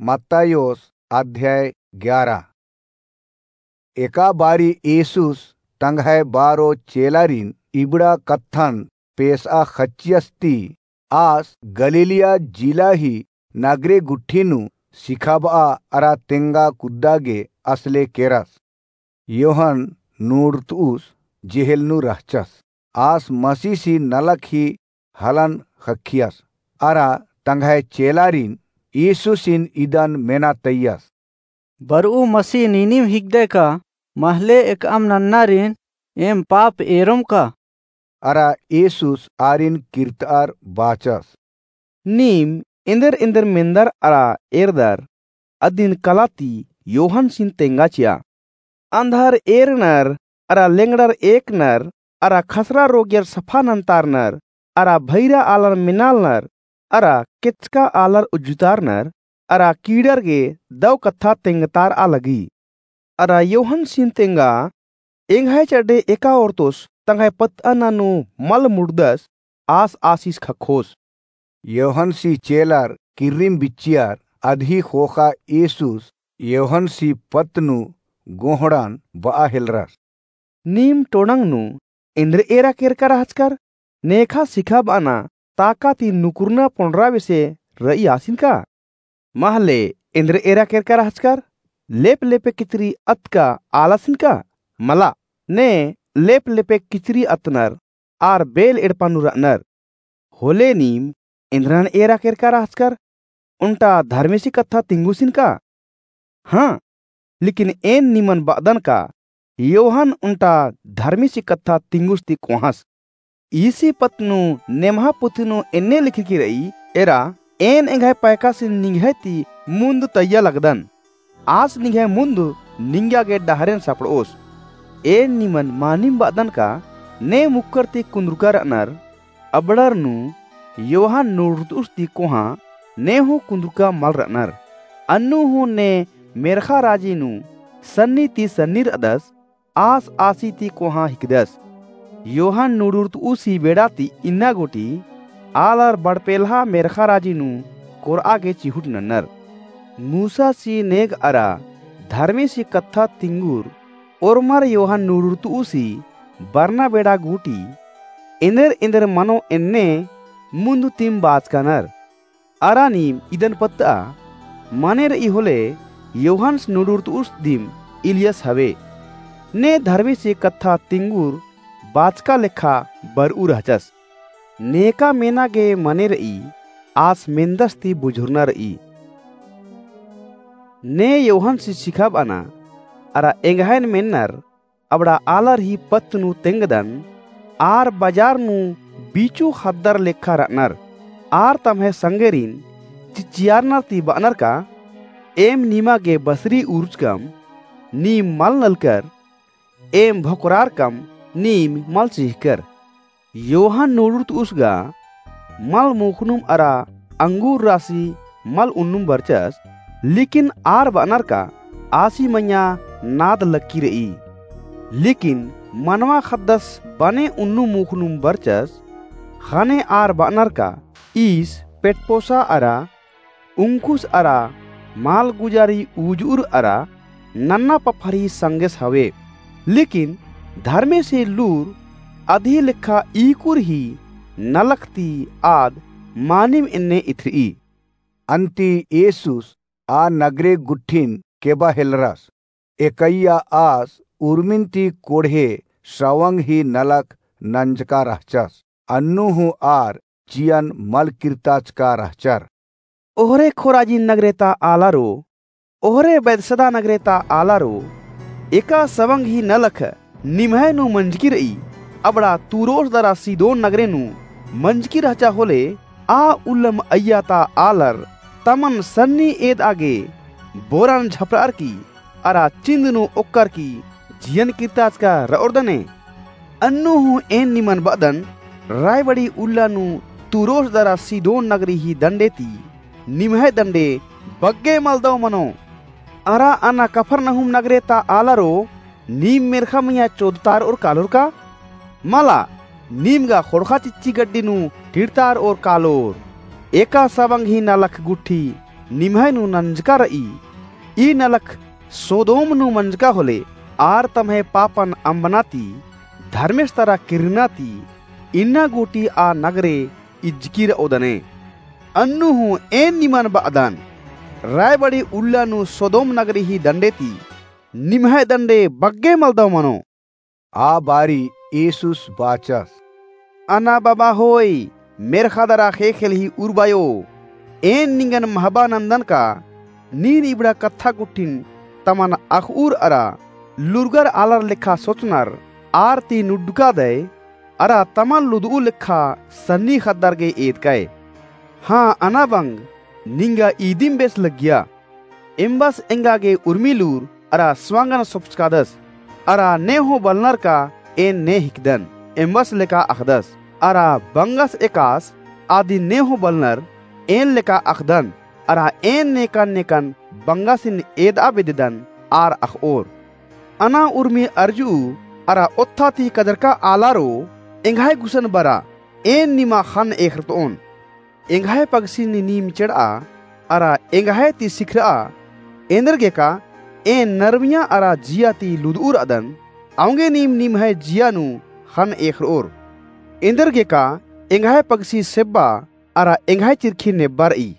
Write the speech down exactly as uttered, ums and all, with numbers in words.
मत्तायोस अध्याय ग्यारा। एका बारी येसुस तंग्है बारो चेलारिन इबड़ा कत्थन पेसआ ख़च्चियस ती आस गलीलिया जिला ही नगरे गुट्ठी नू सिखाबआ अरा तेंगा कुद्दा गे असले केरस। योहन नूड़तुस जेहेल नू रहचस। आस मसीस ही नलख ही हलन ख़क्खियस। अरा तंग्है चेलारिन येसुसिन इदन मेना तइयस। बरऊ मसीह नीनिम हिकदय का? महले एकअम नन्नारिन एम पाप एरोम का? अरा येसुस आरिन किर्तअर बाचस। नीम एन्देर एन्देर मेन्दर अरा एरदर, अदिन कला ती योहनसिन तेंगा चिआ। अन्धर एरनर, अरा लेंगड़र एकनर, अरा खसरा रोगियर सफा नन्तारनर, अरा भैरा आलर मेनालनर, अरा केचका आलर उज्जुतारनर, अरा कीड़र गे दव कत्था तेंगतारआ लगी। अरा योहनसिन तेंगा, एंग्है चड्डे एका ओर्तोस तंग्है पत्तअना नू मल मुड़दस, आस आसिस ख़क्खोस। योहनसी चेलर किर्रिम बिच्चियर, अदही ख़ोख़ा येसुस योहनसी पत्त नू गोहड़न बआ हेलरस। नीम टोड़ंग नू एन्देर एरा केरका रहचकर? नेखा सिखाबअना ताका ती नुकुरना पोंड़रा बेसे र'ई आसिन का? महले एन्देर एरा केरका रहचकर? लेप लेपे किचरी अतका आलासिन का? मला, ने लेप लेपे किचरी अतनर आर बेल एड़पा नू र'अनर। होले नीम एन्देरन एरा केरका रहचकर? ओन्टा धर्मेसी कत्था तिंगुसिन का? हाँ, लेकिन एन निमन ब'अदन का, योहन ओन्टा धर्मेसी कत्था तिंगुस ती कोहाँस। ईसी पत्त नू नेम्हा पुथी नू एन्ने लिखरकी र'ई, एरा, एन एंग्है पैकासिन निंग्है ती मुन्द तइय्या लगदन। आस निंग्है मुन्द निंग्या गे डहरेन सपड़'ओस। एन निमन मानिम ब'अदन का, ने मुक्कर ती कुन्दुरका र'अनर, अबड़र नू योहन नूड़रतुस ती कोहाँ ने हूँ कुन्दुरका मल र'अनर। अन्नु हूँ ने मेर्ख़ा राजी नू सन्नी ती सन्नी र'अदस, आस आसी ती कोहाँ हिकदस। योहन नूड़रतुस ही बेड़ा ती इन्ना गूटी आलर बड़पेल्हा मेर्ख़ा राजी नू कोर'आ गे चिहुट नन्नर। मूसासी नेग अरा धर्मेसी कत्था तिंगुर ओर्मर योहन नूड़रतुस ही बरना बेड़ा गूटी एन्देर एन्देर मनो एन्ने मुन्दतिम बाचकानर। अरा नीम इदन पत्त'आ, मने र'ई होले योहन्स नूड़रतुस दिम इलियस हवे। ने धर्मेसी कत्था तिंगुर बाचका लेखा बर'ऊ रहचस। नेका मेना गे मने र'ई, आस मेन्दस ती बुझुरना र'ई। ने योहन्सी सिखाब'अना, अरा एंग्हैन मेन्नर अबड़ा आलर ही पत्त नू तेंगदन, आर बजार नू बीचू ख़द्दर लेखा र'अनर। आर तम्है संगेरिन चिच्चियारनर ती ब'अनर का, एम निमा गे बसरी उरुचकम, नीम मल नलकर, एम भोकरारकम, नीम मल चि'अकर। योहन नूड़रतुस गा मल मोख़नुम अरा अंगूर रासी मल उन्नुम बरचस, लेकिन आर ब'अनर का आसी मइय्याँ नाद लक्की र'ई। लेकिन मनवा ख़द्दस बने उन्नु मोख़नुम बरचस, ख़ने आर ब'अनर का ईस पेटपोसा अरा उंखुस अरा मालगुजारी उजुर अरा नन्ना पफरी संगेस हवे। लेकिन धर्मेसी लूर अदही लेखा ईकुर ही नलख ती आद मानिम एन्ने इथर'ई। अन्ती येसुस आ नगरे गुट्ठिन केबा हेलरस। एकैया आस उर्मिन ती कोड़हे सवंग ही नलख नंजका रहचस। अन्नु हूँ आर चियन मल किर्ताचका रहचर। ओहरे खोराजिन नगरे ता आलारो, ओहरे बैतसैदा नगरे ता आलारो, एका सवंग ही नलख निम्है नू मंजकी र'ई, अबड़ा तूरोस दरा सीदोन नगरे नू मंजकी रहचा होले, आ उल्लम अइय्या ता आलर तमन सन्नी एद'आ गे बोरन झपर'अर की अरा चिन्द नू ओक्कर की जियन किर्ताचका र'ओर दने। अन्नु हूँ एन निमन ब'अदन, रायबड़ी उल्ला नू तूरोस दरा सीदोन नगरी ही दंडे ती निम्है दंडे बग्गे मलदव मनो। अरा अना कफरनहूम नगरे ता आलारो, नीम मेर्ख़ा मइय्याँ चोदतार'ओर कालोर का? मला, नीम गा ख़ोंड़ख़ा चिच्ची गड्डी नू टिड़तार'ओर कालोर। एका सवंग ही नलख गुट्ठी निम्है नू नंजका र'ई। ई नलख सोदोम नू मंजका होले, आर तम्है पापन अम्बना ती, धर्मेस तरा किर्रना ती, इन्ना गूटी आ नगरे इजकी र'ओदने। अन्नु हूँ एन निमन ब'अदन, रायबड़ी उल्ला नू सोदोम नगरी ही डंडे ती, निम्है डंडे बग्गे मलदव मनो। आ बारी येसुस बाचस। अना बबा होई, मेर्ख़ा दरा ख़ेख़ेल ही उर्बायो। एन निंगन महबा नंदन का, नीन इबड़ा कत्था गुट्ठिन तमन अख़'उर अरा लूरगर आलर लेखा सोचनर, आर ती नुड्डका दय, अरा तमन लुद'ऊ लेखा सन्नी ख़द्दर गे एदकय। हाँ, अना बंग निंगा ईदिम बेस लग्गिया। एम्बस एंगा गे उर्मी लूर अरा स्वांगन सोपचकादस। अरा ने हूँ बलनर का एन ने हिकदन, एम्बस लेका अख़दस। अरा बंगस एकास आदिन ने हूँ बलनर एन लेका अख़दन। अरा एन नेकन नेकन बंगसिन एद'आ बेद्ददन आर अख़'ओर। अना उर्मी अरज'ऊ अरा ओत्था ती कजरका आलारो एंग्है गुसन बरा एन निमा ख़न्न एख़रत'ओन। एंग्है पगसिन नीम चेड़'आ अरा एंग्है ती सिखर'आ। एन्देरगेका एन नरमिया अरा जिया ती लुद'ऊ र'अदन, औंगे नीम निम्है जिया नू ख़न्न एख़र'ओर। एन्देरगेका एंग्है पगसी सेब्बा अरा एंग्है चिरखी नेब्बा र'ई।